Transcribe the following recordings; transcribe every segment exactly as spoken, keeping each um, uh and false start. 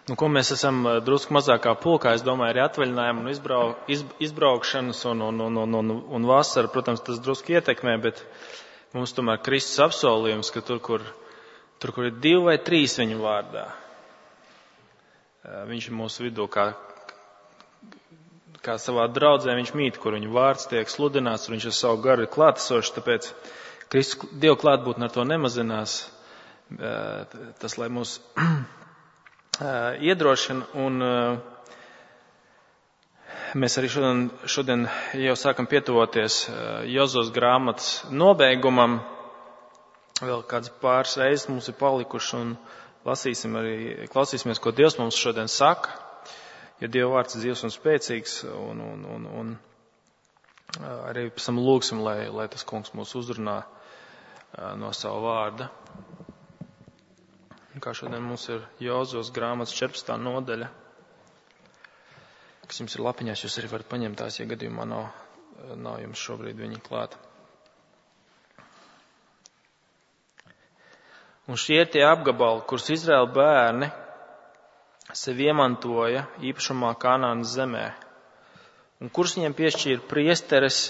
Nu, ko mēs esam drusku mazākā pulkā, es domāju, arī atvaļinājumu un izbrau, iz, izbraukšanas un, un, un, un, un, un vasara, protams, tas drusku ietekmē, bet mums tomēr Kristus apsolījums, ka tur, kur, tur, kur ir divi vai trīs viņa vārdā, viņš ir mūsu vidū kā, kā savā draudzē, viņš mīt, kur viņa vārds tiek sludināts, un viņš ar savu garu ir klātesošs, tāpēc Kristus Dievu klātbūtne ar to nemazinās. Tas, lai mūs iedrošina, un mēs arī šodien, šodien jau sākam pietuvoties Jozos grāmatas nobeigumam. Vēl kāds pāris reizes mums ir palikuši, un lasīsim arī, klausīsimies, ko Dievs mums šodien saka, jo Dieva vārds ir dzīvs un spēcīgs, un, un, un, un arī pēc tam lūgsim, lai, lai tas kungs mūs uzrunā no savu vārda. Kā šodien mums ir Jozos grāmatas četrpadsmitā nodaļa, kas jums ir lapiņās, jūs arī varat paņemt tās, ja gadījumā nav, nav jums šobrīd viņi klāt. Un šie ir tie apgabali, kurus Izraēla bērni sev iemantoja īpašumā Kanānas zemē, un kurus viņiem piešķīra priesteres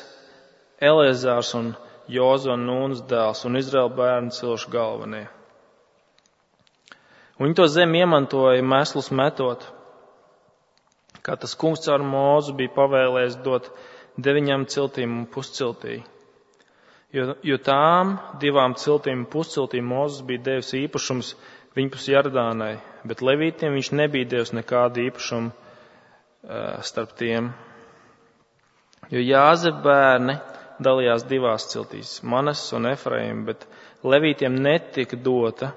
Eleazārs un Jozo Nūnas dēls un Izraēla bērnu cilšu galvenie. Un viņi to zemi iemantoja mēslus metot, kā tas kungs caur Mūzu bija pavēlējis dot deviņām ciltīm un pusciltī. Jo, jo tām divām ciltīm un pusciltīm Mūzes bija devis īpašums viņpus Jardānai, bet levītiem viņš nebija devis nekādu īpašumu uh, starp tiem. Jo Jāzeba bērni dalījās divās ciltīs, Manas un Efraim, bet levītiem netika dota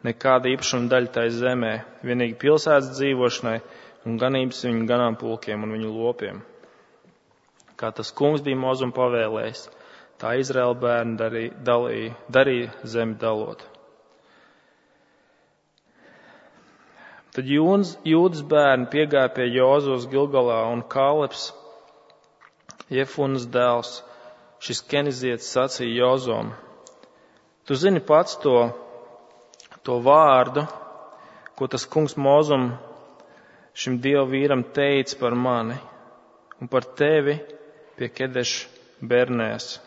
nekāda īpašuma daļa tai zemē, vienīgi pilsētas dzīvošanai un ganības viņu ganāmpulkiem un viņu lopiem. Kā tas kungs bija Mūzum pavēlējis, tā Izraēla bērni darīja, dalīja, darīja zemi dalot. Tad Jūns, Jūdas bērni piegāja pie Jozos Gilgalā, un Kālebs, Jefunas dēls, šis kenizietis sacīja Jozom: Tu zini pats to, to vārdu, ko tas kungs Mūzum šim dievu vīram teica par mani un par tevi pie Kedeša Bernēs.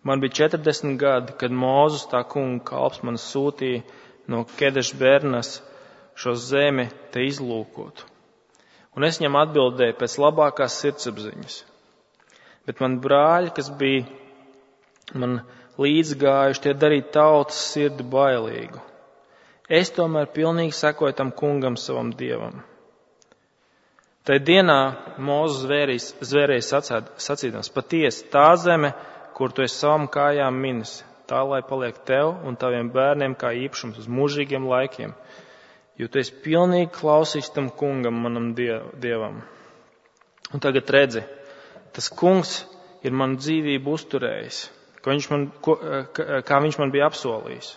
Man bija četrdesmit gadi, kad Mūzes tā kunga kalps man sūtīja no Kedeša Bernēs šo zemi te izlūkot. Un es viņam atbildēju pēc labākās sirdsapziņas. Bet man brāļi, kas bija man līdzgājuši, tie darīja tautas sirdi bailīgu. Es tomēr pilnīgi sekoju tam kungam, savam dievam. Tai dienā Mūzes zvērīs, zvērējis sacīdams: Patiesi, tā zeme, kur tu esi savam kājām minis, tā lai paliek tev un taviem bērniem kā īpašums uz mūžīgiem laikiem, jo tu esi pilnīgi klausīts tam kungam, manam dievam. Un tagad redzi, tas kungs ir manu dzīvību uzturējis, kā viņš man, ko, kā viņš man bija apsolījis.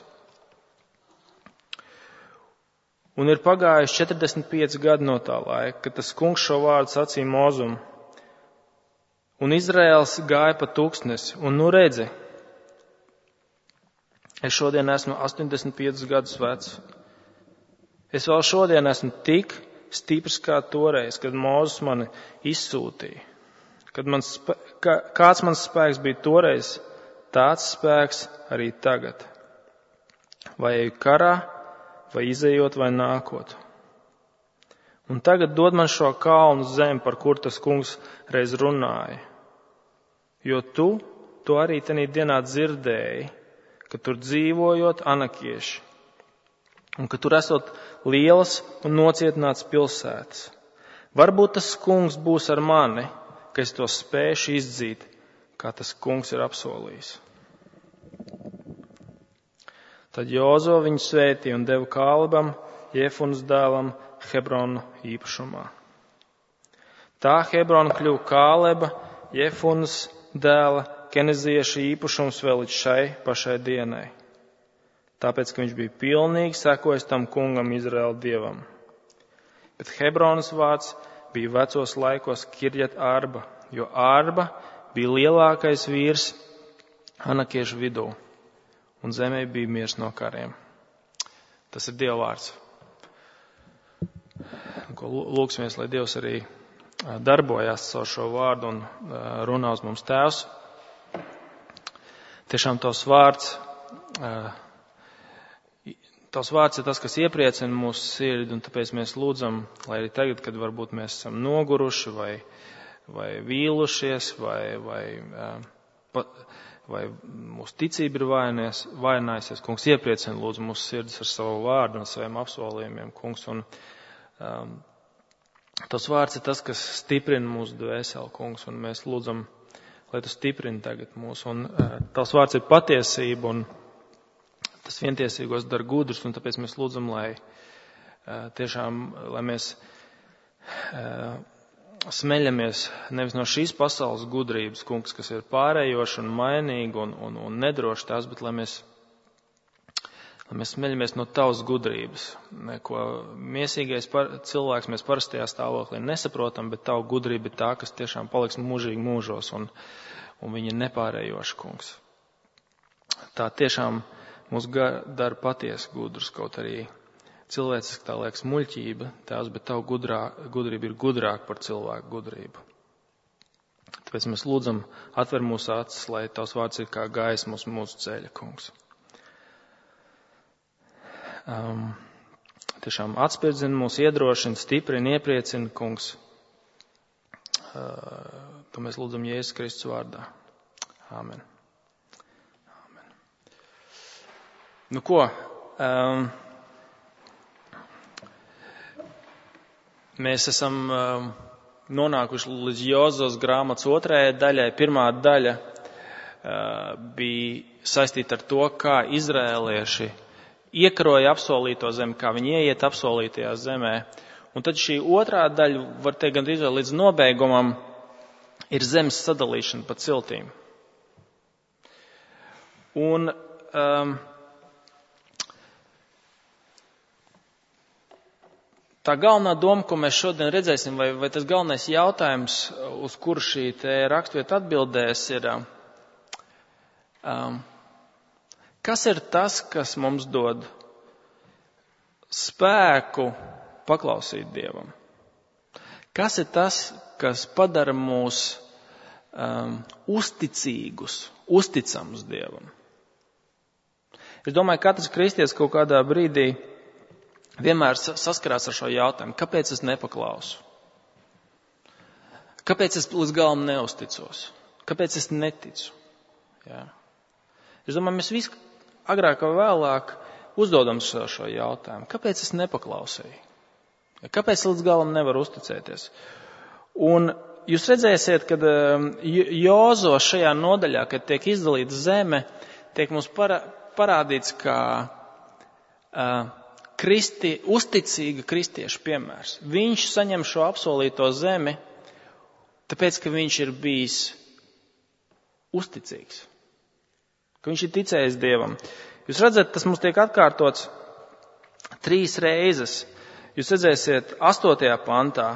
Un ir pagājuši četrdesmit pieci gadi no tā laika, kad tas kungs šo vārdu sacīja Mūzum. Un Izraēls gāja pa tūkstnesi, un nu redzi, es šodien esmu astoņdesmit piecus gadus vecs. Es vēl šodien esmu tik stiprs kā toreiz, kad Mūzes mani izsūtīja. Kad man spē, kā, kāds mans spēks bija toreiz, tāds spēks arī tagad. Vai eju karā, vai izejot, vai nākot. Un tagad dod man šo kalnu zemi, par kur tas kungs reiz runāja. Jo tu to arī tenī dienā dzirdēji, ka tur dzīvojot anakieši, un ka tur esot lielas un nocietināts pilsētas. Varbūt tas kungs būs ar mani, ka es to spēšu izdzīt, kā tas kungs ir apsolījis. Tad Jozo viņu svētīja un deva Kālebam, Jefunas dēlam, Hebronu īpašumā. Tā Hebrona kļuva Kāleba, Jefunas dēla, kenizieša īpašums vēl līdz šai pašai dienai. Tāpēc, ka viņš bija pilnīgi sekojis tam kungam, Izraēla dievam. Bet Hebronas vārds bija vecos laikos Kirjat Arba, jo Arba bija lielākais vīrs anakiešu vidū, un zemē bija miers no kariem. Tas ir Dieva vārds. ko lūksimies, lai Dievs arī darbojās caur šo vārdu un runā uz mums. Tēvs. Tiešām tavs vārds, tavs vārds ir tas, kas iepriecina mūsu sirdi, un tāpēc mēs lūdzam, lai arī tagad, kad varbūt mēs esam noguruši vai, vai vīlušies, vai, vai, vai mūsu ticība ir vājinājusies, kungs, iepriecina lūdzu mūsu sirdis ar savu vārdu un saviem apsolījumiem, kungs, un um, tavs vārds ir tas, kas stiprina mūsu dvēseli, kungs, un mēs lūdzam, lai tu stiprini tagad mūs. Un uh, tavs vārds ir patiesība, un tas vientiesīgos dara gudrus, un tāpēc mēs lūdzam, lai uh, tiešām, lai mēs uh, smeļamies nevis no šīs pasaules gudrības, kungs, kas ir pārējoša un mainīga un, un, un nedroša tās, bet lai mēs, lai mēs smeļamies no tavas gudrības, ko miesīgais par, cilvēks mēs parastajā stāvoklī nesaprotam, bet tava gudrība ir tā, kas tiešām paliks mūžīgi mūžos, un, un viņa ir nepārējoša, kungs. Tā tiešām mūs dara patiesi gudrus, kaut arī cilvēciski tā liekas muļķība, tās, bet tava gudrā, gudrība ir gudrāka par cilvēku gudrību. Tāpēc mēs lūdzam, atver mūsu acis, lai tavs vārds ir kā gaisma uz mūsu ceļa, kungs. Um, tiešām atspirdzina mūs, iedrošina, stiprina, iepriecina, kungs. Uh, to mēs lūdzam Jēzus Kristus vārdā. Āmen. Āmen. Nu ko, um, mēs esam um, nonākuši līdz Jozos grāmatas otrajai daļai. Pirmā daļa uh, bija saistīta ar to, kā izrēlieši iekaroja apsolīto zemi, kā viņi ieiet apsolītajā zemē. Un tad šī otrā daļa, var teikt, gandrīz līdz nobeigumam, ir zemes sadalīšana pa ciltīm. Un um, tā galvenā doma, ko mēs šodien redzēsim, vai, vai tas galvenais jautājums, uz kuru šī te rakstvieta atbildēs, ir, um, kas ir tas, kas mums dod spēku paklausīt Dievam? Kas ir tas, kas padara mūs um, uzticīgus, uzticamus Dievam? Es domāju, katrs kristietis kaut kādā brīdī vienmēr saskarās ar šo jautājumu. Kāpēc es nepaklausu? Kāpēc es līdz galam neusticos? Kāpēc es neticu? Jā. Es domāju, mēs visi agrāk vai vēlāk uzdodam šo jautājumu. Kāpēc es nepaklausīju? Kāpēc līdz galam nevaru uzticēties? Un jūs redzēsiet, kad Jozo šajā nodaļā, kad tiek izdalīta zeme, tiek mums parādīts kā uh, kristi, uzticīga kristieša piemērs. Viņš saņem šo apsolīto zemi, tāpēc, ka viņš ir bijis uzticīgs. Ka viņš ir ticējis Dievam. Jūs redzat, tas mums tiek atkārtots trīs reizes. Jūs redzēsiet astotajā pantā.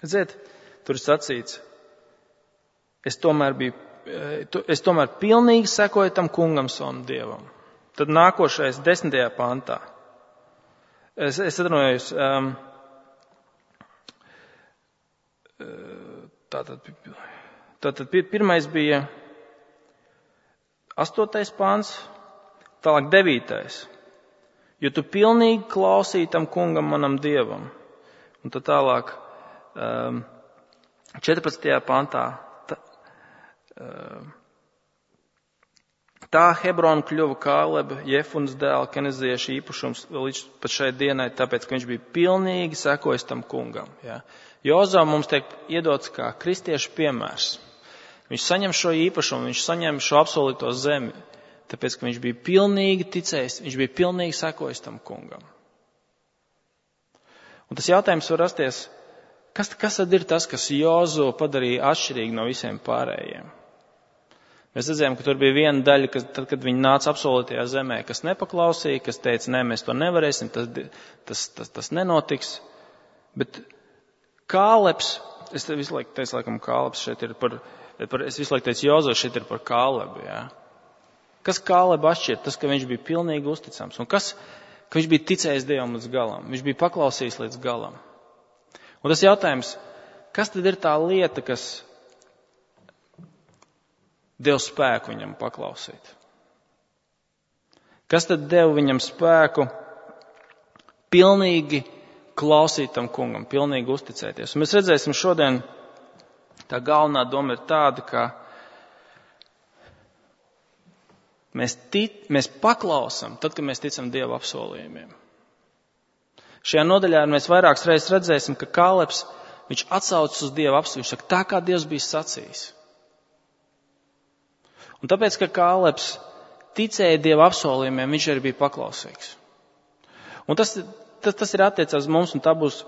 Redziet, tur ir sacīts, es tomēr biju, es tomēr pilnīgi sekoju tam kungam savam Dievam. Tad nākošais desmitajā pantā. Es, es atvainojos, um, tātad, tātad pirmais bija astotais pants, tālāk devītais. Jo tu pilnīgi klausīji tam kungam manam Dievam. Un tad tālāk um, četrpadsmitajā pantā. Tā, um, tā Hebrona kļuva Kāleba, Jefunas dēla, kenezieša īpašums līdz pat šai dienai, tāpēc, ka viņš bija pilnīgi sekojis tam kungam. Ja. Jozo mums tiek iedots kā kristiešu piemērs. Viņš saņem šo īpašumu, viņš saņem šo apsolīto zemi, tāpēc, ka viņš bija pilnīgi ticējis, viņš bija pilnīgi sekojis tam kungam. Un tas jautājums var rasties, kas, kas tad ir tas, kas Jozo padarīja atšķirīgi no visiem pārējiem? Mēs redzējām, ka tur bija viena daļa, kas, tad, kad viņi nāca apsolītajā zemē, kas nepaklausīja, kas teica, nē, mēs to nevarēsim, tas, tas, tas, tas nenotiks. Bet Kālebs, es visu laiku teicu, laikam Kālebs šeit ir par, par es visu laiku teicu, Jozo šeit ir par Kālebu, jā. Kas Kālebu atšķir? Tas, ka viņš bija pilnīgi uzticams. Un kas, ka viņš bija ticējis Dievam līdz galam. Viņš bija paklausījis līdz galam. Un tas jautājums, kas tad ir tā lieta, kas deva spēku viņam paklausīt? Kas tad deva viņam spēku pilnīgi klausīt tam kungam, pilnīgi uzticēties? Un mēs redzēsim šodien, tā galvenā doma ir tāda, ka mēs, tic, mēs paklausam tad, kad mēs ticam Dieva apsolījumiem. Šajā nodaļā mēs vairākas reizes redzēsim, ka Kālebs, viņš atsaucas uz Dieva apsolījumu. Viņš saka, tā kā Dievs bija sacījis. Un tāpēc, ka Kālebs ticēja Dieva apsolījumiem, viņš arī bija paklausīgs. Un tas, tas, tas ir attiecās mums, un tā būs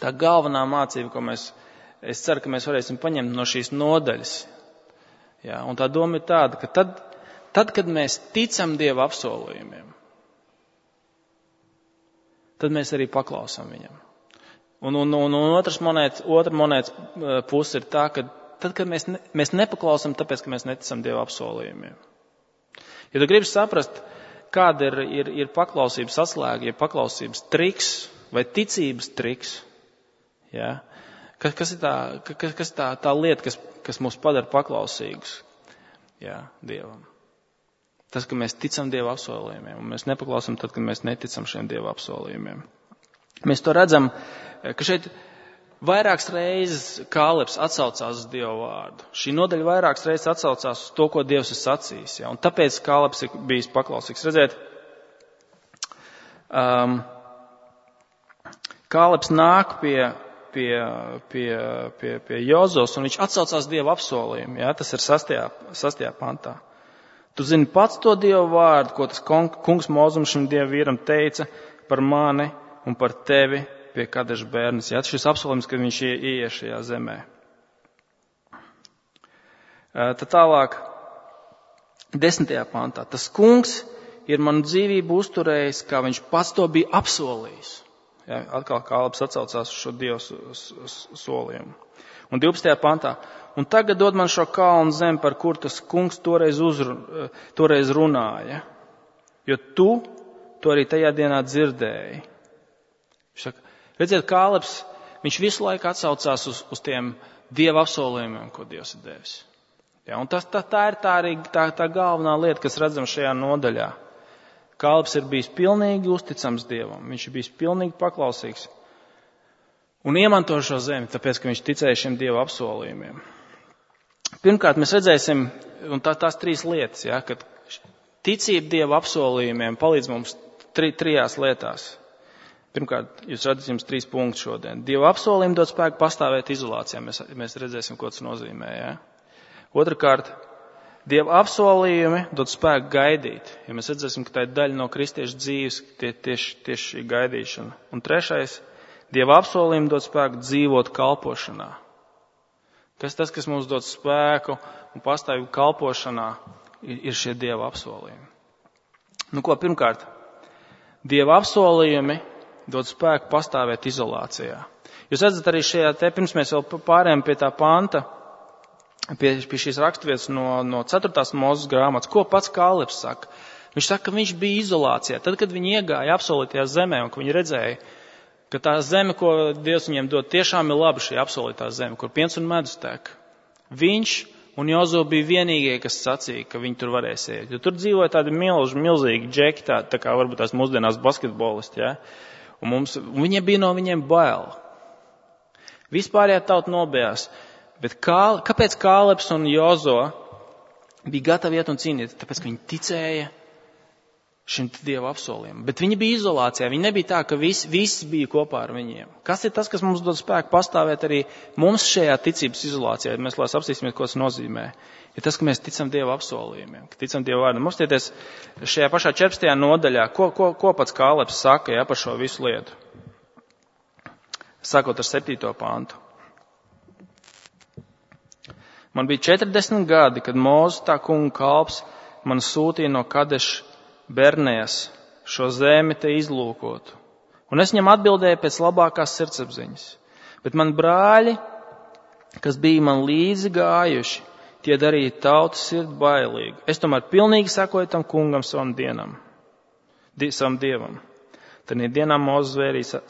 tā galvenā mācība, ko mēs, es ceru, ka mēs varēsim paņemt no šīs nodaļas. Jā, un tā doma ir tāda, ka tad, tad, kad mēs ticam Dieva apsolījumiem, tad mēs arī paklausam viņam. Un, un, un, un otrs monētas, otra monētas puse ir tā, ka tad, kad mēs, ne, mēs nepaklausam, tāpēc, ka mēs neticam Dieva apsolījumiem. Ja tu gribi saprast, kāda ir, ir, ir paklausības atslēga, ja paklausības triks vai ticības triks, ja? kas, kas ir tā, kas, kas tā, tā lieta, kas, kas mūs padara paklausīgus, ja, Dievam. Tas, ka mēs ticam Dieva apsolījumiem, un mēs nepaklausam tad, kad mēs neticam šiem Dieva apsolījumiem. Mēs to redzam, ka šeit vairākas reizes Kālebs atsaucās uz Dieva vārdu. Šī nodaļa vairākas reizes atsaucās uz to, ko Dievs ir sacījis. Ja? Un tāpēc Kālebs ir bijis paklausīgs. Redziet, um, Kālebs nāk pie, pie, pie, pie, pie Jozos, un viņš atsaucās Dieva apsolījumu. Ja? Tas ir sastajā, sastajā pantā. Tu zini pats to Dieva vārdu, ko tas kungs Mozum šim Dieva vīram teica par mani un par tevi pie Kadeša bērnes. Jā, šis apsolījums, ka viņš ieies šajā zemē. Tad tālāk, desmitajā pantā. Tas kungs ir manu dzīvību uzturējis, kā viņš pats to bija apsolījis. Jā, atkal Kālebs atsaucās uz šo Dievu solījumu. Un divpadsmitajā pantā. Un tagad dod man šo kalnu zemi, par kur tas kungs toreiz, uzru, toreiz runāja. Jo tu to arī tajā dienā dzirdēji. Viņš saka, redziet, Kālebs, viņš visu laiku atsaucās uz, uz tiem Dieva apsolījumiem, ko Dievs ir devis. Ja, un tas, tā, tā ir tā, arī, tā, tā galvenā lieta, kas redzam šajā nodaļā. Kālebs ir bijis pilnīgi uzticams Dievam. Viņš ir bijis pilnīgi paklausīgs. Un iemanto šo zemi, tāpēc, ka viņš ticēja šiem Dieva apsolījumiem. Pirmkārt, mēs redzēsim, un tā, tās trīs lietas, ja, kad ticība Dieva apsolījumiem palīdz mums tri, trijās lietās. Pirmkārt, jūs redzat jums trīs punktus šodien. Dieva apsolījumi dod spēku pastāvēt izolācijā. Mēs, mēs redzēsim, ko tas nozīmē. Ja? Otrakārt, Dieva apsolījumi dod spēku gaidīt. Ja mēs redzēsim, ka tā ir daļa no kristiešu dzīves, tie, tieši, tieši šī gaidīšana. Un trešais, Dieva apsolījumi dod spēku dzīvot kalpošanā. Kas tas, kas mums dod spēku un pastāvību kalpošanā, ir, ir šie Dieva apsolījumi. Nu ko, pirmkārt, Dieva apsolījumi dod spēku pastāvēt izolācijā. Jūs redzat arī šajā te, pirms mēs vēl pārējām pie tā panta, pie, pie šīs raksturvietas no, no ceturtās Mūzes grāmatas, ko pats Kālebs saka. Viņš saka, ka viņš bija izolācijā. Tad, kad viņi iegāja apsolītajā zemē un ka viņi redzēja, ka tā zeme, ko Dievs viņiem dod, tiešām ir laba šī apsolītā zeme, kur piens un medus tek. Viņš un Jozo bija vienīgie, kas sacīja, ka viņi tur varēs iet. Jo tur dzīvoja tādi milži, milzīgi džeki, tā, tā kā varbūt tās mūsdienās basketbolisti, ja? Un, mums, un viņiem bija no viņiem bail. Vispārējā tauta nobijās. Bet kā, kāpēc Kālebs un Jozo bija gatavi iet un cīnīt? Tāpēc, ka viņi ticēja šim Dieva apsolījumam. Bet viņi bija izolācijā. Viņi nebija tā, ka visi, visi bija kopā ar viņiem. Kas ir tas, kas mums dod spēku pastāvēt arī mums šajā ticības izolācijā? Mēs lai apstīsimies, ko tas nozīmē. Ir tas, ka mēs ticam Dieva apsolījumiem, ka ticam Dieva vārdam. Mums tietties šajā pašā četrpadsmitajā nodaļā, ko, ko, ko pats Kālebs saka, ja, par šo visu lietu. Sākot ar septīto pantu. Man bija četrdesmit gadi, kad Mūzes tā kunga kalps man sūtīja no Kadeša Bernējas šo zemi te izlūkotu. Un es viņam atbildēju pēc labākās sirdsapziņas. Bet man brāļi, kas bija man līdzi gājuši, tie darīja tautas sirdi bailīgu. Es tomēr pilnīgi sekoju tam kungam savam dienam, di, savam dievam. Tad dienā Mūzes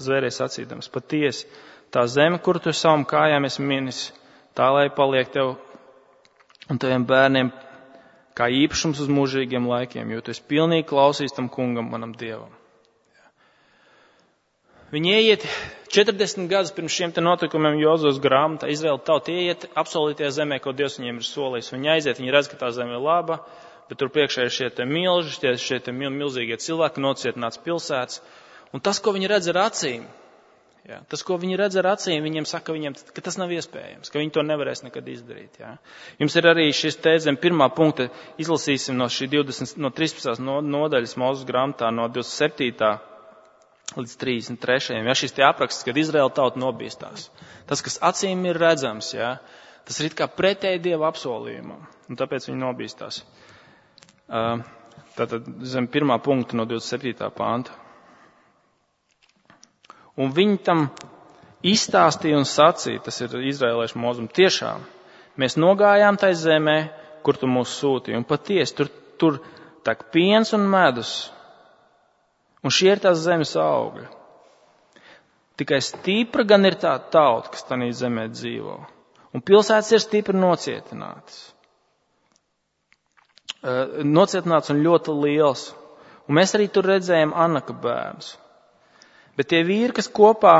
zvērēja sacīdams: patiesi, tā zeme, kur tu savam kājām esi minis, tā lai paliek tev un taviem bērniem kā īpašums uz mūžīgiem laikiem, jo tu esi pilnīgi klausījis tam kungam, manam Dievam. Viņi ieiet četrdesmit gadus pirms šiem te notikumiem Jozos grāmatā, Izraēla tauta ieiet apsolītajā zemē, ko Dievs viņiem ir solījis. Viņi aiziet, viņi redz, ka tā zeme ir laba, bet tur priekšā ir šie te milži, šie, šie te milzīgie cilvēki, nocietināts pilsētas. Un tas, ko viņi redz ar acīm, jā, tas, ko viņi redz ar acīm, viņiem saka, viņiem, ka tas nav iespējams, ka viņi to nevarēs nekad izdarīt. Jā. Jums ir arī šis te zem pirmā punkta, izlasīsim no šī divdesmit, no trīspadsmitās nodaļas Mūzes grāmatā, no divdesmit septītā līdz trīsdesmit trešajam. Ja, šis te apraksts, kad Izraēla tauta nobīstās. Tas, kas acīm ir redzams, ja, tas ir it kā pretēji Dieva apsolījumam. Un tāpēc viņi nobīstās. Tātad zem pirmā punkta no divdesmit septītā panta. Un viņi tam izstāstīja un sacīja, tas ir izraēliešu mūzum, tiešām, mēs nogājām tai zemē, kur tu mūs sūtīji. Un patiesi, tur, tur tak piens un medus. Un šie ir tās zemes augļi. Tikai stipra gan ir tā tauta, kas tanī zemē dzīvo. Un pilsētas ir stipri nocietinātas. Nocietināts un ļoti liels. Un mēs arī tur redzējām Anaka bērnus. Bet tie vīri, kas kopā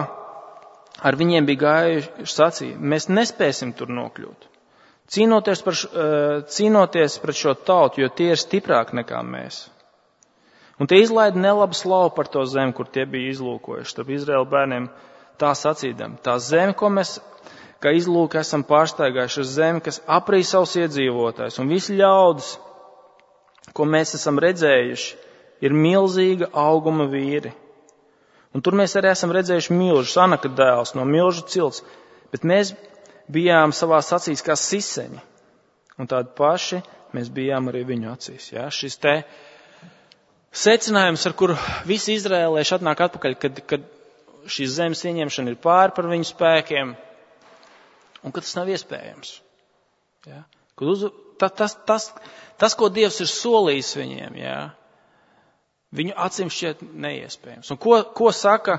ar viņiem bija gājuši, sacīja, mēs nespēsim tur nokļūt. Cīnoties, par, cīnoties pret šo tautu, jo tie ir stiprāki nekā mēs. Un tie izlaida nelabu slavu par to zemi, kur tie bija izlūkojuši. Starp Izraēla bērniem tā sacīdam. Tā zeme, ko mēs, kā izlūki, esam pārstaigājuši, ir zeme, kas aprīja savus iedzīvotājus. Un visi ļaudis, ko mēs esam redzējuši, ir milzīga auguma vīri. Un tur mēs arī esam redzējuši milžus, Anaka dēls no milžu cilts. Bet mēs bijām savās acīs kā siseņi. Un tādi paši mēs bijām arī viņu acīs. Ja? Šis te secinājums, ar kuru visi izraēlieši atnāk atpakaļ, kad, kad šīs zemes ieņemšana ir pāri par viņu spēkiem, un ka tas nav iespējams. Ja? Kad uz, ta, tas, tas, tas, ko Dievs ir solījis viņiem, ja? Viņu acīm šķiet neiespējams. Un ko, ko saka,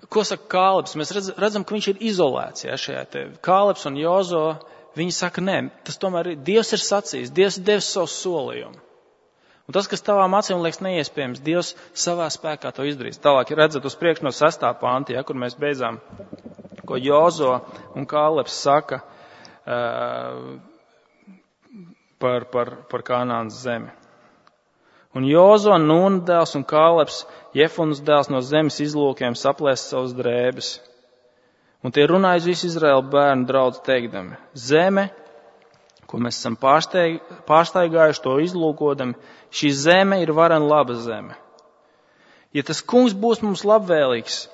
ko saka Kālebs? Mēs redz, redzam, ka viņš ir izolēts. Ja, šajā te Kālebs un Jozo, viņi saka, nē, tas tomēr ir, Dievs ir sacījis, Dievs ir devis savu solījumu. Un tas, kas tavām acīm liekas neiespējams, Dievs savā spēkā to izdarīs. Tālāk redzat uz priekšu no sestā panta, ja, kur mēs beidzām, ko Jozo un Kālebs saka uh, par, par, par Kanānas zemi. Un Jozo, Nūna dēls un Kālebs, Jefunas dēls no zemes izlūkiem saplēst savus drēbes. Un tie runāja uz visu Izraēlu bērnu draudz teikdami, zeme, ko mēs esam pārsteig, pārsteigājuši to izlūkodami, šī zeme ir varen laba zeme. Ja tas kungs būs mums labvēlīgs,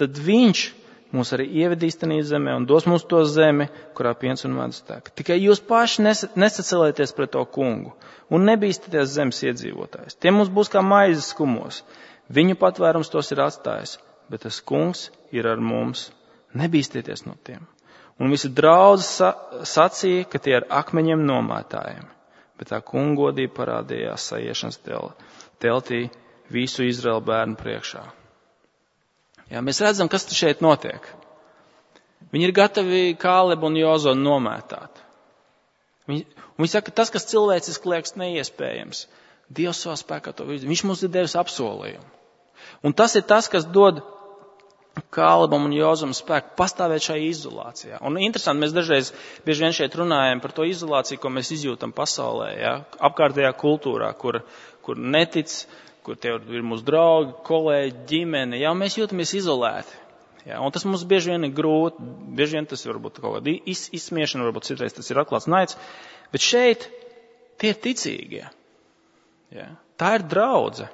tad viņš mūs arī ievedīs tanī zemē un dos mums to zemi, kurā piens un medus tek. Tikai jūs paši nesacelieties pret to kungu un nebīstaties zemes iedzīvotājs. Tie mums būs kā maizes skumos. Viņu patvērums tos ir atstājis, bet tas kungs ir ar mums. Nebīstieties no tiem. Un visi draudzi sacīja, ka tie ar akmeņiem nomētājiem. Bet tā kungodība parādījās saiešanas teltī visu Izraēlu bērnu priekšā. Jā, mēs redzam, kas šeit notiek. Viņi ir gatavi Kālebu un Jozo nomētāt. Viņi, viņi saka, tas, kas cilvēciski liekas neiespējams, Dievs savā spēkā to visu. Viņš mums ir devis apsolījumu. Un tas ir tas, kas dod Kālebam un Jozam spēku pastāvēt šajā izolācijā. Un interesanti, mēs dažreiz bieži vien šeit runājam par to izolāciju, ko mēs izjūtam pasaulē, ja? Apkārtējā kultūrā, kur, kur netic, kur tie ir mūsu draugi, kolēģi, ģimene, ja? Mēs jūtamies izolēti. Ja? Un tas mums bieži vien ir grūti, bieži vien tas varbūt kaut kāda iz, izsmiešana, varbūt citreiz tas ir atklāts naids, bet šeit tie ir ticīgie. Ja? Tā ir draudze.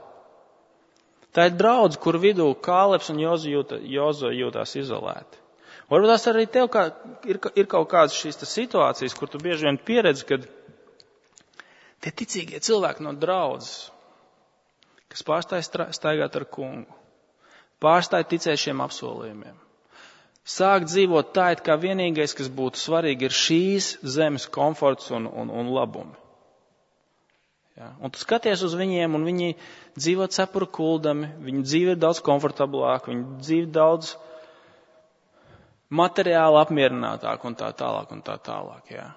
Tā ir draudze, kur vidū Kālebs un Jozo, jūta, Jozo jūtās izolēti. Varbūt tās arī tev kā, ir, ir kaut kādas šīs situācijas, kur tu bieži vien pieredzi, kad tie ticīgie cilvēki no draudzes, kas pārstāj staigāt ar kungu, pārstāj ticēt šiem apsolījumiem, sāk dzīvot tā, it kā vienīgais, kas būtu svarīgi, ir šīs zemes komforts un, un, un labumi. Ja? Un tu skaties uz viņiem, un viņi dzīvo cepuru kuldami, viņu dzīve ir daudz komfortablāka, viņu dzīve daudz materiāli apmierinātāk un tā tālāk un tā tālāk. Ja?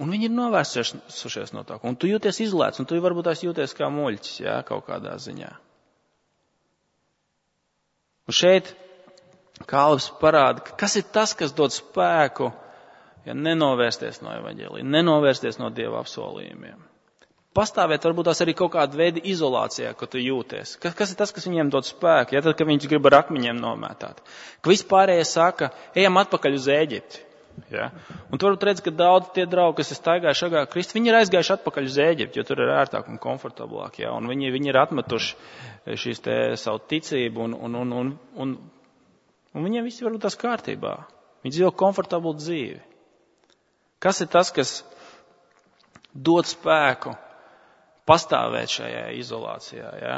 Un viņi ir novērsušies no tā. Un tu jūties izolēts, un tu varbūt tās jūties kā muļķis, ja? Kaut kādā ziņā. Un šeit Kālebs parāda, kas ir tas, kas dod spēku, ja nenovērsties no evaņģēlija, nenovērsties no Dieva apsolījumiem. Pastāvēt varbūt tās arī kaut kāda veida izolācijā, ko tu jūties. Kas, kas ir tas, kas viņiem dod spēku? Ja tad, kad viņš grib ar akmeņiem nomētāt. Ka vispārējie saka, ejam atpakaļ uz Ēģipti. Ja? Un tu varbūt redz, ka daudz tie draugi, kas ir staigājuši agāk Kristu, viņi ir aizgājuši atpakaļ uz Ēģipti, jo tur ir ērtāk un komfortablāk. Ja? Un viņi, viņi ir atmetuši šīs te savu ticību un, un, un, un, un, un viņiem viss varbūt tās kārtībā. Viņi dzīvo komfortablu dzīvi. Kas ir tas, kas dod spēku pastāvēt šajā izolācijā, ja?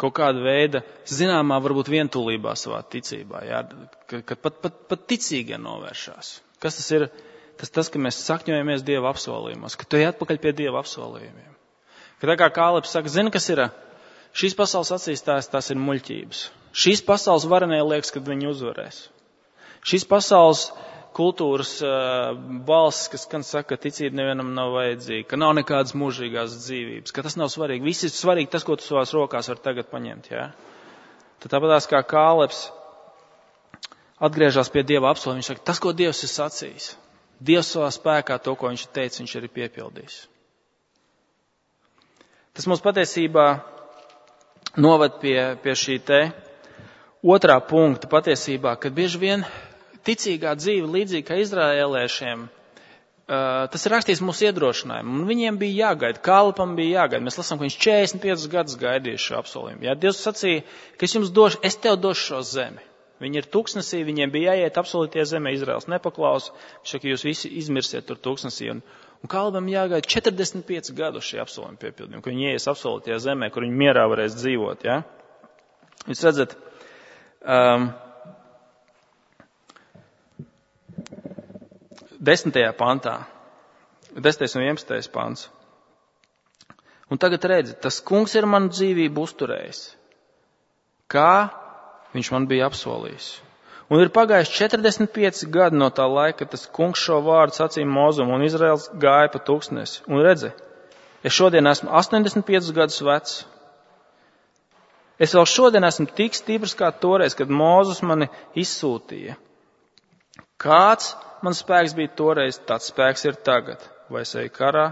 Kaut kāda veida, zināmā, varbūt vientulībā savā ticībā, ja? Kad, kad pat, pat, pat ticīgie novēršās. Kas tas ir? Tas tas, ka mēs sakņojamies Dieva apsolījumos, ka tu ej atpakaļ pie Dieva apsolījumiem. Ka tā kā Kālebs saka, zini, kas ir? Šīs pasaules acīs tās, tās ir muļķības. Šīs pasaules varenie liekas, kad viņi uzvarēs. Šīs pasaules kultūras uh, balss, kas gan saka, ka ticība nevienam nav vajadzīga, ka nav nekādas mūžīgās dzīvības, ka tas nav svarīgi. Viss ir svarīgi tas, ko tu savās rokās var tagad paņemt. Ja? Tad tāpatās kā Kālebs atgriežas pie Dieva apsolījuma, viņš saka, tas, ko Dievs ir sacījis. Dievs savā spēkā to, ko viņš teica, viņš arī piepildīs. Tas mums patiesībā novad pie, pie šī te otrā punkta patiesībā, kad bieži vien ticīgā dzīve, līdzīgi kā izraēliešiem, tas ir rakstīts mūsu iedrošinājumu. Un viņiem bija jāgaida, Kālebam bija jāgaida. Mēs lasām, ka viņš četrdesmit piecus gadus gaidīja šo apsolījumu. Jā, Dievs sacīja, ka es jums došu, es tev došu šo zemi. Viņi ir tūkstnesī, viņiem bija jāiet apsolītie zemē, Izraels nepaklausa. Viņš saka, jūs visi izmirsiet tur tūkstnesī. Un, un Kālebam jāgaida četrdesmit pieci gadu šī apsolījuma piepildījuma, ka viņi ies apsolītie zemē, kur viņi mierā varēs dzīvot. Ja? Jūs redzat, um, desmitajā pantā, desmitais un vienpadsmitais pants. Un tagad redzi, tas kungs ir manu dzīvību uzturējis, kā viņš man bija apsolījis. Un ir pagājuši četrdesmit pieci gadi no tā laika, kad tas kungs šo vārdu sacīja Mozum un Izraels gāja pa tūkstnesi. Un redzi, es šodien esmu astoņdesmit piecus gadus vecs. Es vēl šodien esmu tik stiprs kā toreiz, kad Mozus mani izsūtīja. Kāds man spēks bija toreiz, tāds spēks ir tagad. Vai es eju karā,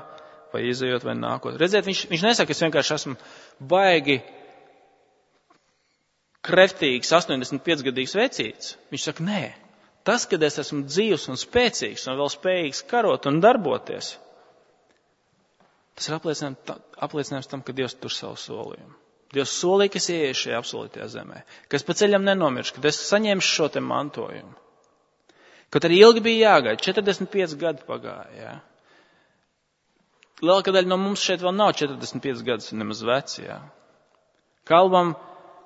vai izejot, vai nākot. Redziet, viņš, viņš nesaka, es vienkārši esmu baigi kreftīgs, astoņdesmit piecus gadīgs vecīts. Viņš saka, nē, tas, kad es esmu dzīvs un spēcīgs un vēl spējīgs karot un darboties, tas ir apliecinājums, apliecinājums tam, ka Dievs tur savu solījumu. Dievs solīja, ka es ieiešu šajā apsolītajā zemē, ka es pa ceļam nenomiršu, ka es saņemšu šo te mantojumu. Kaut arī ilgi bija jāgaida, četrdesmit pieci gadi pagāja. Ja? Lielākā daļa no mums šeit vēl nav četrdesmit pieci gadus nemaz veci. Ja? Kālebam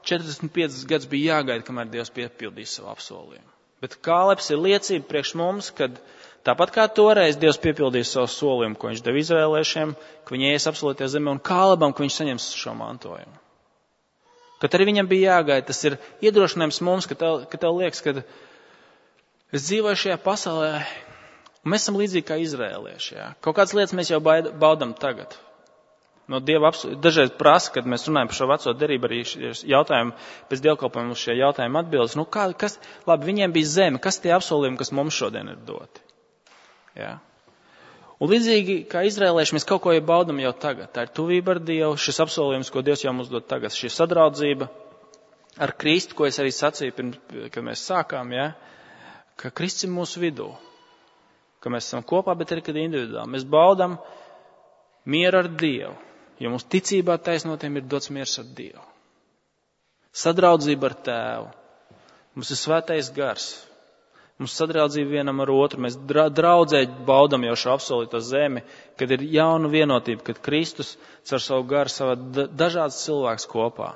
četrdesmit piecus gadus bija jāgaida, kamēr Dievs piepildīs savu apsolījumu. Bet Kālebs ir liecība priekš mums, kad tāpat kā toreiz Dievs piepildīs savu solījumu, ko viņš deva izraēliešiem, ka viņi ies apsolītajā zemē, un Kālebam, ka viņš saņems šo mantojumu. Kad arī viņam bija jāgaida, tas ir iedrošinājums mums, ka tev, ka tev liekas, ka es dzīvoju šajā pasaulē, un mēs esam līdzīgi kā izraēlieši. Ja? Kaut kādas lietas mēs jau baudam tagad. No Dieva apsolījuma. Dažreiz prasa, kad mēs runājam par šo veco derību, arī jautājumu, pēc dievkalpojuma uz šie jautājumu atbildes. Nu, kā, kas, labi, viņiem bija zeme, kas tie apsolījumi, kas mums šodien ir doti? Ja? Un līdzīgi kā izraēlieši, mēs kaut ko jau baudam jau tagad. Tā ir tuvība ar Dievu, šis apsolījums, ko Dievs jau mums dod tagad. Šī sadraudzība ar Kristu, ko es arī sacīju, pirms, kad mēs sākām, ja? Ka Kristus ir mūsu vidū, ka mēs esam kopā, bet arī kad individuāli. Mēs baudam mieru ar Dievu, jo mūsu ticībā taisnotiem ir dots miers ar Dievu. Sadraudzība ar Tēvu. Mums ir svētais gars. Mums sadraudzība vienam ar otru. Mēs draudzē baudam jau šo apsolīto zemi, kad ir jauna vienotība, kad Kristus caur savu garu savā dažādas cilvēks kopā.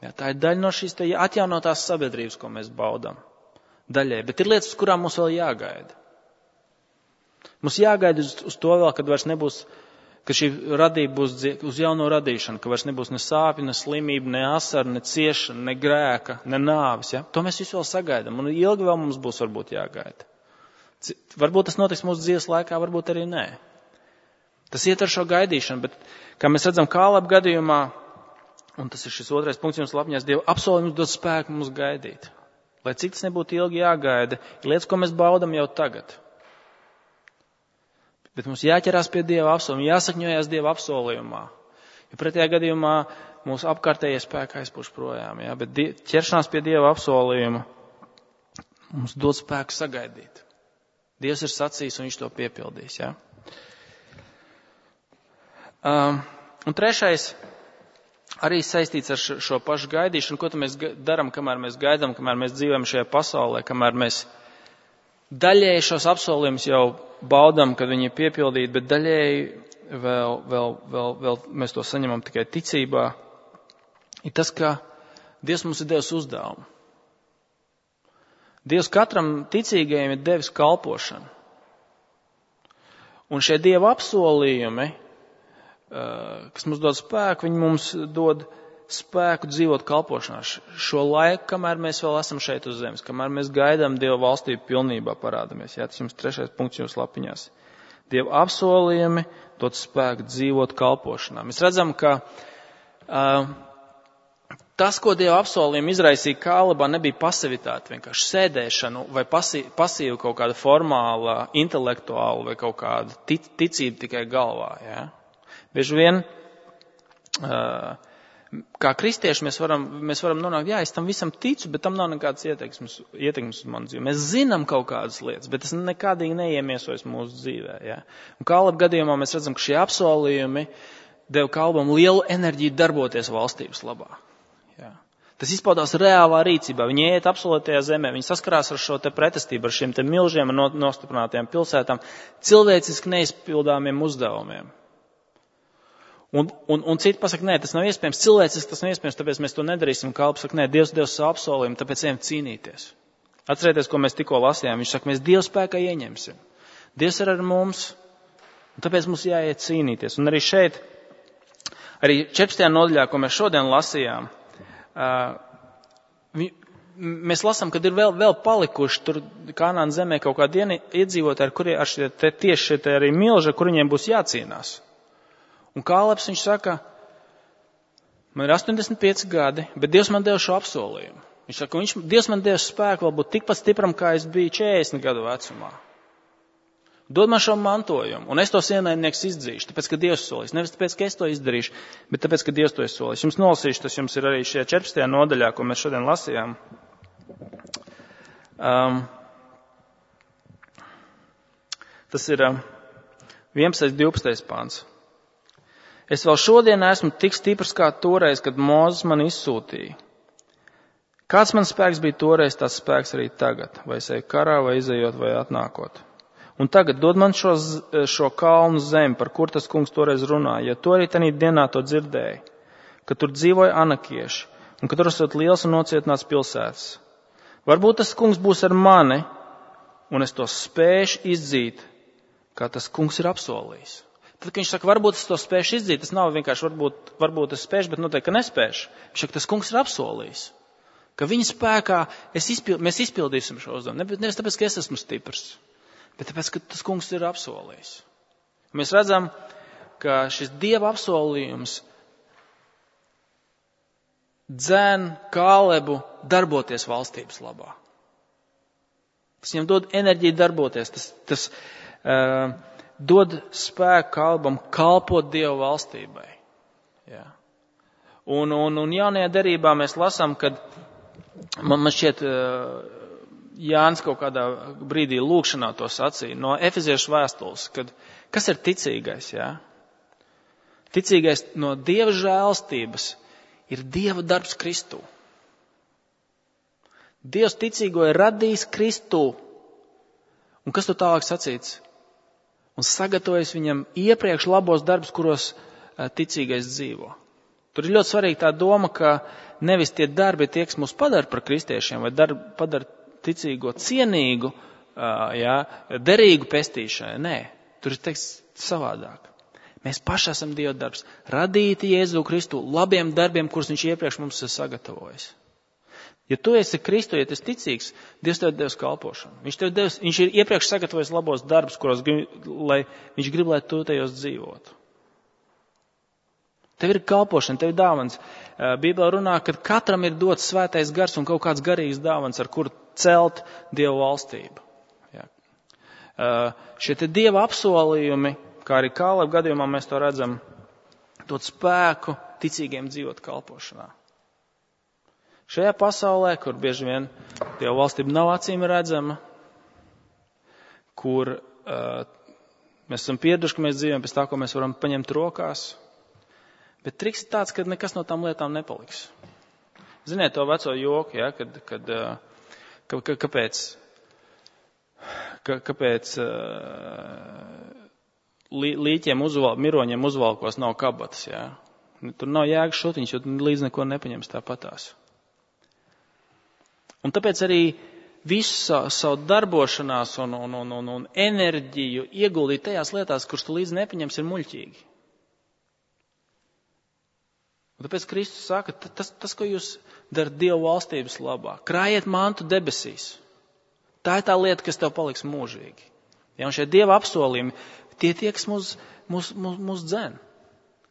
Ja, tā ir daļa no šīs te atjaunotās sabiedrības, ko mēs baudam. Daļai, bet ir lietas, uz kurām mums vēl jāgaida. Mums jāgaida uz, uz to vēl, kad vairs nebūs ka šī radība būs uz jauno radīšanu, ka vairs nebūs ne sāpju, ne slimība, ne asaru, ne ciešana, ne grēka, ne nāvis. Ja? To mēs visu vēl sagaidām, un ilgi vēl mums būs varbūt jāgaida. Varbūt tas notiks mūsu dzīves laikā, varbūt arī nē. Tas iet ar šo gaidīšanu, bet, kā mēs redzam Kāleba gadījumā, un tas ir šis otrais punkts jums lapņās, Dieva apsolījums dod spēku mums gaidīt. Lai cik tas nebūtu ilgi jāgaida, ir lietas, ko mēs baudam jau tagad. Bet mums jāķerās pie Dieva apsolījuma, jāsakņojās Dieva apsolījumā. Jo pretējā gadījumā mūsu apkārtējie spēki aizpūš projām. Ja? Bet ķeršanās pie Dieva apsolījuma mums dod spēku sagaidīt. Dievs ir sacījis un viņš to piepildīs. Ja? Um, un trešais arī saistīts ar šo pašu gaidīšanu. Ko mēs darām, kamēr mēs gaidām, kamēr mēs dzīvojam šajā pasaulē, kamēr mēs daļēji šos apsolījumus jau baudam, kad viņi ir piepildīti, bet daļēji vēl, vēl, vēl, vēl mēs to saņemam tikai ticībā, ir tas, ka Dievs mums ir devis uzdevumu. Dievs katram ticīgajam ir devis kalpošanu. Un šie Dieva apsolījumi, kas mums dod spēku, viņi mums dod spēku dzīvot kalpošanā. Šo laiku, kamēr mēs vēl esam šeit uz zemes, kamēr mēs gaidām Dieva valstību pilnībā parādamies. Jā, tas jums trešais punkts jums lapiņās. Dieva apsolījumi dod spēku dzīvot kalpošanā. Mēs redzam, ka uh, tas, ko Dieva apsolījumi izraisīja Kālebā, nebija pasivitāte, vienkārši sēdēšanu vai pasī, pasīva kaut kāda formāla, intelektuāla vai kaut kāda tic, ticība tikai galvā. Jā. Bieži vien uh, kā kristieši mēs varam, mēs varam nonākt, jā, es tam visam ticu, bet tam nav nekādas ietekmes, ietekmes uz manu dzīvi. Mēs zinām kaut kādas lietas, bet tas nekādīgi neiemiesojas mūsu dzīvē. Ja? Un Kāleba gadījumā mēs redzam, ka šie apsolījumi deva Kālebam lielu enerģiju darboties valstības labā. Ja? Tas izpaudās reālā rīcībā. Viņi iet apsolītajā zemē, viņi saskarās ar šo te pretestību, ar šiem te milžiem un nostiprinātajām pilsētām, cilvēciski neizpildāmiem uzdevumiem. Un, un, un citi pasaka, nē, tas nav iespējams, cilvēciski tas nav iespējams, tāpēc mēs to nedarīsim. Kalps saka, nē, Dievs Dievs savu apsolījumu, tāpēc ejam cīnīties. Atcerieties, ko mēs tikko lasījām. Viņš saka, mēs Dieva spēkā ieņemsim. Dievs ir ar mums, un tāpēc mums jāiet cīnīties. Un arī šeit, arī četrpadsmitajā nodaļā, ko mēs šodien lasījām, uh, mēs lasām, kad ir vēl, vēl palikuši tur Kanānas zemē kaut kādi iedzīvotāji, ar kuriem ar šie te, tieši šie te arī milži, kur viņiem būs jācīnās. Un Kālebs, viņš saka, man ir astoņdesmit pieci gadi, bet Dievs man deva šo apsolījumu. Viņš saka, viņš, Dievs man deva spēku vēl būt tikpat stipram, kā es biju četrdesmit gadu vecumā. Dod man šo mantojumu, un es tos ienaidnieks izdzīšu, tāpēc, ka Dievs solīs. Nevis tāpēc, ka es to izdarīšu, bet tāpēc, ka Dievs to ir solījis. Jums nolasīšu, tas jums ir arī šajā četrpadsmitajā nodaļā, ko mēs šodien lasījām. Um, tas ir um, vienpadsmitais divpadsmitais pāns. Es vēl šodien esmu tik stiprs kā toreiz, kad Mūzes man izsūtīja. Kāds man spēks bija toreiz, tāds spēks arī tagad, vai es eju karā, vai izejot, vai atnākot. Un tagad dod man šo, šo kalnu zemi, par kur tas kungs toreiz runāja, jo to arī tanī dienā to dzirdēja, ka tur dzīvoja anakieši, un ka tur esot liels un nocietināts pilsētas. Varbūt tas kungs būs ar mani, un es to spēšu izdzīt, kā tas kungs ir apsolījis. Tad, kad viņš saka, varbūt es to spēšu izdzīt, tas nav vienkārši varbūt, varbūt es spēšu, bet noteikti, ka nespēšu. Viņš saka, tas kungs ir apsolījis, ka viņa spēkā es izpild, mēs izpildīsim šo uzdevumu. Nevis tāpēc, ka es esmu stiprs, bet tāpēc, ka tas kungs ir apsolījis. Mēs redzam, ka šis Dieva apsolījums dzen Kālebu darboties valstības labā. Tas viņam dod enerģiju darboties, tas, tas uh, dod spēku Kālebam kalpot Dieva valstībai. Jā. Un, un, un jaunajā derībā mēs lasām, kad man, man šķiet Jānis kaut kādā brīdī lūkšanā to sacīja no Efeziešu vēstules, kad kas ir ticīgais, jā? Ticīgais no Dieva žēlstības ir Dieva darbs Kristū. Dievs ticīgo ir radījis Kristū. Un kas tu tālāk sacīts? Un sagatavojas viņam iepriekš labos darbus, kuros ticīgais dzīvo. Tur ir ļoti svarīga tā doma, ka nevis tie darbi tie, kas mūs padara par kristiešiem, vai darbi padara ticīgo cienīgu, jā, derīgu pestīšanai. Nē, tur ir teiks savādāk. Mēs paši esam Dieva darbs, radīti Jēzu Kristu labiem darbiem, kurus viņš iepriekš mums ir sagatavojis. Ja tu esi Kristu, ja tu esi ticīgs, Dievs tev devis kalpošanu. Viņš tev devis, viņš ir iepriekš sagatavojis labos darbus, kuros grib, lai viņš grib, lai tu tajos dzīvotu. Tev ir kalpošana, tev ir dāvans. Bībelē runā, ka katram ir dots svētais gars un kaut kāds garīgs dāvans, ar kuru celt Dieva valstību. Jā. Šie te Dieva apsolījumi, kā arī Kāleba gadījumā mēs to redzam, dot spēku ticīgiem dzīvot kalpošanā. Šajā pasaulē, kur bieži vien Dieva valstība nav acīm redzama, kur uh, mēs esam pieraduši, ka mēs dzīvojam pēc tā, ko mēs varam paņemt rokās, bet triks ir tāds, ka nekas no tām lietām nepaliks. Ziniet to veco joku, ja, kad, kad, uh, ka, ka, kāpēc, ka, kāpēc uh, līķiem uzval, miroņiem uzvalkos nav kabatas, ja. Tur nav jēga šutiņš, jo līdz neko nepaņems tāpatās. Un tāpēc arī visu savu, savu darbošanās un, un, un, un, un enerģiju ieguldīt tajās lietās, kuras tu līdz nepaņems, ir muļķīgi. Un tāpēc Kristus saka, tas, tas, ko jūs darat Dieva valstības labā, krājiet mantu debesīs. Tā ir tā lieta, kas tev paliks mūžīgi. Ja, un šie Dieva apsolījumi, tie tie, kas mūs, mūs, mūs, mūs dzen.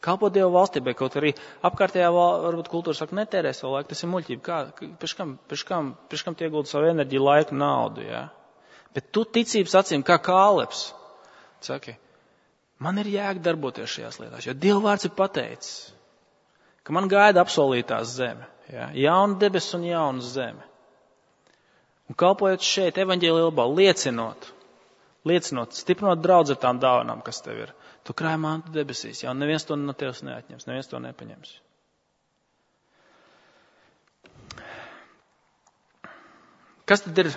Kalpot Dieva valstībai, kaut arī apkārtējā varbūt kultūra saka, netērē savu laiku, tas ir muļķība. Kā, pēc kam, pēc kam, pēc kam tie iegulda savu enerģiju, laiku, naudu, jā? Bet tu ticības acīm, kā Kālebs, saki, man ir jēga darboties šajās lietās, jo Dieva vārds ir pateicis, ka man gaida apsolītās zeme, jā? Jauna debes un jauna zeme. Un kalpojot šeit, evaņģēlijā labā, liecinot, liecinot, stiprinot draudz ar tām dāvanām, kas tev ir. Tu krāj mantu debesīs, jau neviens to no tevis neatņems, neviens to nepaņems. Kas tad ir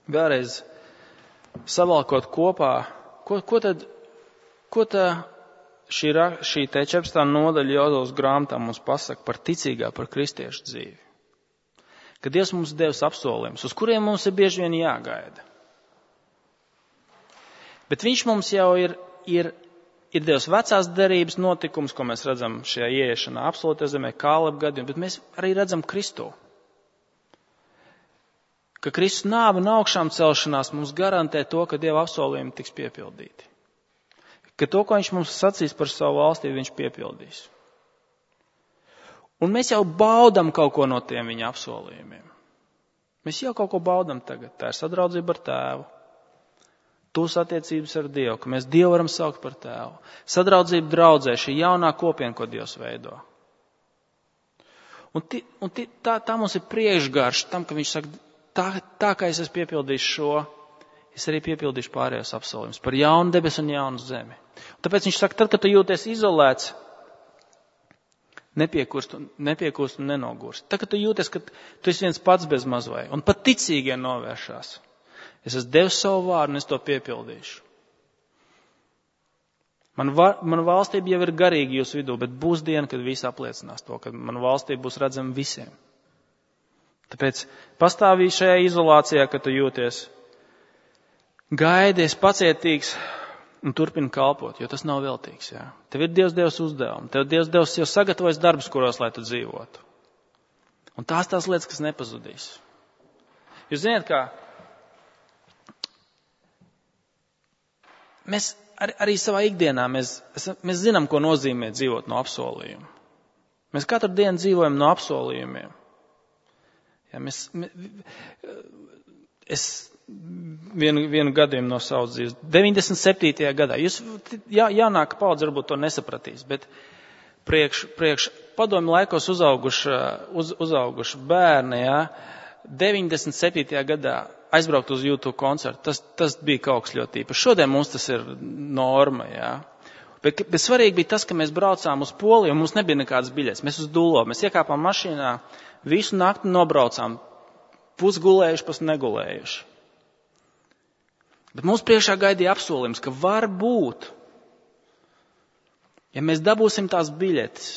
vēlreiz savalkot kopā, ko, ko tad, ko tā šī, šī te četrpadsmitā nodaļa Jozovas grāmatā mums pasaka par ticīgā, par kristiešu dzīvi? Ka Dievs mums devis apsolījumus, uz kuriem mums ir bieži vien jāgaida. Bet viņš mums jau ir, ir, ir devis vecās derības notikums, ko mēs redzam šajā ieiešanā absolūtajā zemē, Kāleba gadījumā, bet mēs arī redzam Kristu. Ka Kristus nāve un augšām celšanās mums garantē to, ka Dieva apsolījumi tiks piepildīti. Ka to, ko viņš mums sacīs par savu valstību, viņš piepildīs. Un mēs jau baudam kaut ko no tiem viņa apsolījumiem. Mēs jau kaut ko baudam tagad. Tā ir sadraudzība ar Tēvu. Tūs attiecības ar Dievu, ka mēs Dievu varam saukt par Tēvu. Sadraudzība draudzē, šī jaunā kopiena, ko Dievs veido. Un, ti, un ti, tā, tā mums ir priekšgarš tam, ka viņš saka, tā, tā kā es esmu piepildījis šo, es arī piepildīšu pārējos apsolījumus par jaunu debesu un jaunu zemi. Un tāpēc viņš saka, tad, kad tu jūties izolēts, nepiekūst, nepiekūst un nenogūst. Tad, kad tu jūties, ka tu esi viens pats bez mazvai un pat ticīgie novēršās. Es esmu devis savu vārdu un es to piepildīšu. Man, va, man valstība jau ir garīga jūsu vidū, bet būs diena, kad visi apliecinās to, ka man valstība būs redzama visiem. Tāpēc pastāvī šajā izolācijā, kad tu jūties, gaidies pacietīgs un turpini kalpot, jo tas nav veltīgs. Jā. Tev ir Dievs Dievs uzdevumu, tev Dievs Dievs jau sagatavojas darbus, kuros, lai tu dzīvotu. Un tās tās lietas, kas nepazudīs. Jūs zināt, kā mēs ar, arī savā ikdienā mēs, mēs zinām, ko nozīmē dzīvot no apsolījuma. Mēs katru dienu dzīvojam no apsolījumiem. Ja, mēs, es vienu, vienu gadījumu no savas dzīves. deviņdesmit septītajā gadā. Jūs, jā, jaunāka paudze varbūt to nesapratīs, bet priekš, priekš padomju laikos uzauguši, uz, uzauguši bērni, jā, deviņdesmit septītajā gadā aizbraukt uz YouTube koncertu, tas, tas bija kaut kas ļoti īpašs. Šodien mums tas ir norma, jā. Bet, bet svarīgi bija tas, ka mēs braucām uz Poliju un mums nebija nekādas biļetes. Mēs uz Dulo, mēs iekāpām mašīnā, visu nakti nobraucām, pusgulējuši, pus negulējuši. Bet mums priekšā gaidīja apsolījums, ka var būt, ja mēs dabūsim tās biļetes,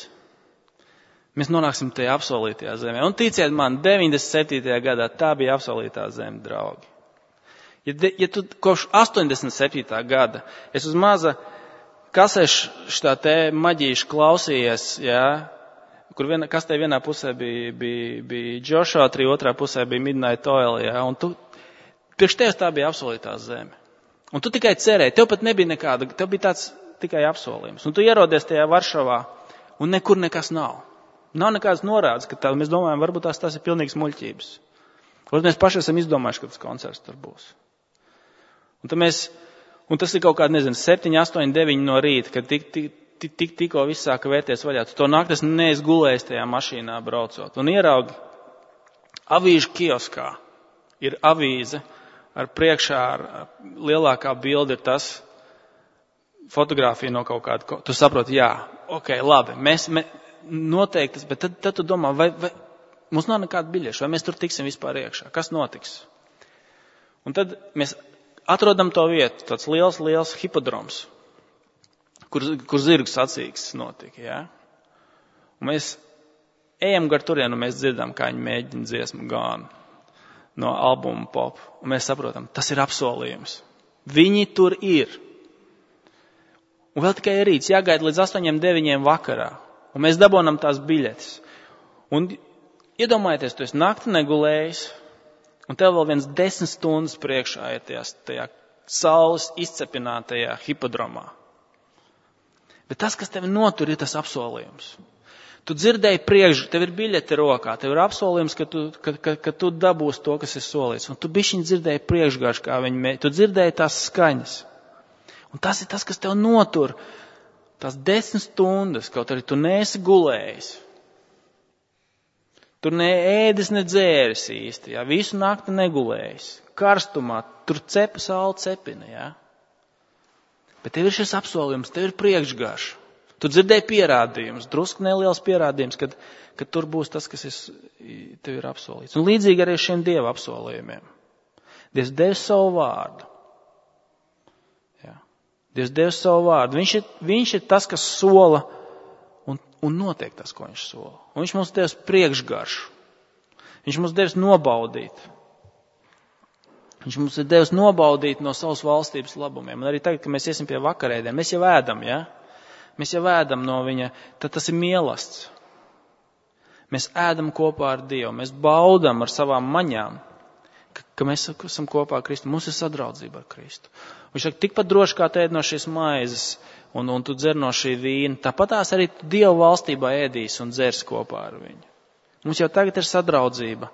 mēs nonāksim tajā apsolītajā zemē. Un ticiet man, deviņdesmit septītajā gadā tā bija apsolītā zeme, draugi. Ja, de, ja tu kopš astoņdesmit septītā gada es uz maza kasešu šitā te maģīšu klausījies, jā, kur viena, kas te vienā pusē bija, bija, bija Joshua trī, otrā pusē bija Midnight Oil, jā, un tu, priekš tevis tā bija apsolītā zeme. Un tu tikai cerēji, tev pat nebija nekāda, tev bija tāds tikai apsolījums. Un tu ierodies tajā Varšavā, un nekur nekas nav. Nav nekādas norādes, ka tā, mēs domājam, varbūt tās, tās ir pilnīgas muļķības. Varbūt mēs paši esam izdomājuši, ka tas koncerts tur būs. Un, mēs, un tas ir kaut kādi, nezinu, septiņi, astoņi, deviņi no rīta, kad tik, tik, tik, tik, tikko viss sāka vērties vaļā. Tu to naktas neizgulējis tajā mašīnā braucot. Un ieraugi avīžu kioskā ir avīze ar priekšā, ar lielākā bilde ir tas fotogrāfija no kaut kāda. Tu saproti, jā, ok, labi, mēs... mēs noteikti, bet tad, tad tu domā, vai, vai mums nav nekāda biļeša, vai mēs tur tiksim vispār iekšā, kas notiks? Un tad mēs atrodam to vietu, tāds liels, liels hipodroms, kur, kur zirgu sacīkstes notika, jā? Un mēs ejam gar turienu, un mēs dzirdam, kā viņi mēģina dziesmu Gone no albuma Pop, un mēs saprotam, tas ir apsolījums. Viņi tur ir. Un vēl tikai rīts, jāgaida līdz astoņiem, deviņiem vakarā. Un mēs dabonam tās biļetes. Un iedomājieties, tu esi nakti negulējis, un tev vēl viens desmit stundas priekšā ir tajā, tajā saules izcepinātajā hipodromā. Bet tas, kas tevi notur, ir tas apsolījums. Tu dzirdēji priekš, tev ir biļete rokā, tev ir apsolījums, ka tu, ka, ka, ka tu dabūsi to, kas ir solīts. Un tu bišķiņ dzirdēji priekšgarš, kā viņi mēģina. Tu dzirdēji tās skaņas. Un tas ir tas, kas tev notur. Tās desmit stundas, kaut arī tu neesi gulējis. Tur ne ēdis, ne dzēris īsti, jā. Visu nakti negulējis. Karstumā, tur cepa saule cepina, jā. Bet tev ir šis apsolījums, tev ir priekšgarš. Tu dzirdēji pierādījumus, drusku neliels pierādījums, kad, kad tur būs tas, kas ir, tev ir apsolīts. Un līdzīgi arī šiem Dieva apsolījumiem. Dievs devis savu vārdu. Dievs devis savu vārdu. Viņš ir, viņš ir tas, kas sola un, un notiek tas, ko viņš sola. Un viņš mums devis priekšgaršu. Viņš mums devis nobaudīt. Viņš mums ir devis nobaudīt no savas valstības labumiem. Un arī tagad, kad mēs iesim pie vakarēdien, mēs jau ēdam, ja? Mēs jau ēdam no viņa, tad tas ir mielasts. Mēs ēdam kopā ar Dievu. Mēs baudam ar savām maņām, ka, ka mēs esam kopā ar Kristu. Mums ir sadraudzība ar Kristu. Viņš saka, tikpat droši kā tu ēd no šīs maizes un, un tu dzer no šī vīna, tāpat tās arī tu Dievu valstībā ēdīs un dzers kopā ar viņu. Mums jau tagad ir sadraudzība,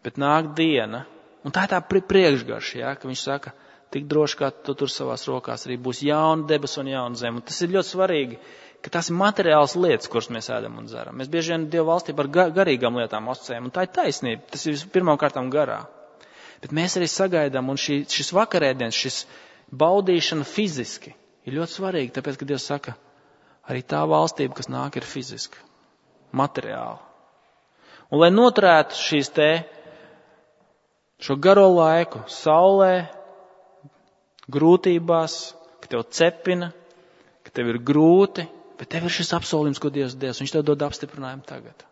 bet nāk diena, un tā ir tā priekšgarša, ja, ka viņš saka, tik droši kā tu tur savās rokās arī būs jauna debes un jauna zeme. Un tas ir ļoti svarīgi, ka tās ir materiāls lietas, kuras mēs ēdam un dzeram. Mēs bieži vien Dievu valstībā ar garīgām lietām asociējam, un tā ir taisnība, tas ir pirmām kārtām garā. Bet mēs arī sagaidām, un šī, šis vakarēdiens, šis baudīšana fiziski ir ļoti svarīgi, tāpēc, ka Dievs saka, arī tā valstība, kas nāk, ir fiziska, materiāla. Un lai noturētu šīs te, šo garo laiku, saulē, grūtībās, ka tev cepina, ka tev ir grūti, bet tev ir šis apsolījums, ko Dievs Dievs, viņš tev dod apstiprinājumu tagad.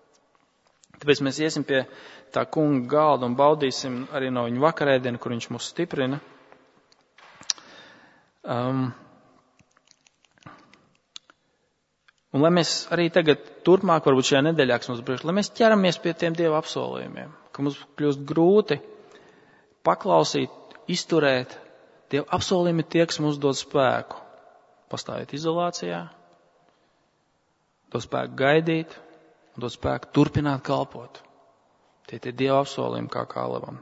Tāpēc mēs iesim pie tā kunga galda un baudīsim arī no viņa vakarēdienu, kur viņš mūs stiprina. Um, un lai mēs arī tagad turpmāk, varbūt šajā nedēļā, kas mums priekš, lai mēs ķeramies pie tiem Dieva apsolījumiem, ka mums kļūst grūti paklausīt, izturēt. Dieva apsolījumi tie, kas mums dod spēku pastāvēt izolācijā, dod spēku gaidīt, un dod spēku turpināt kalpot. Tie tie Dieva apsolījumi kā Kālevam.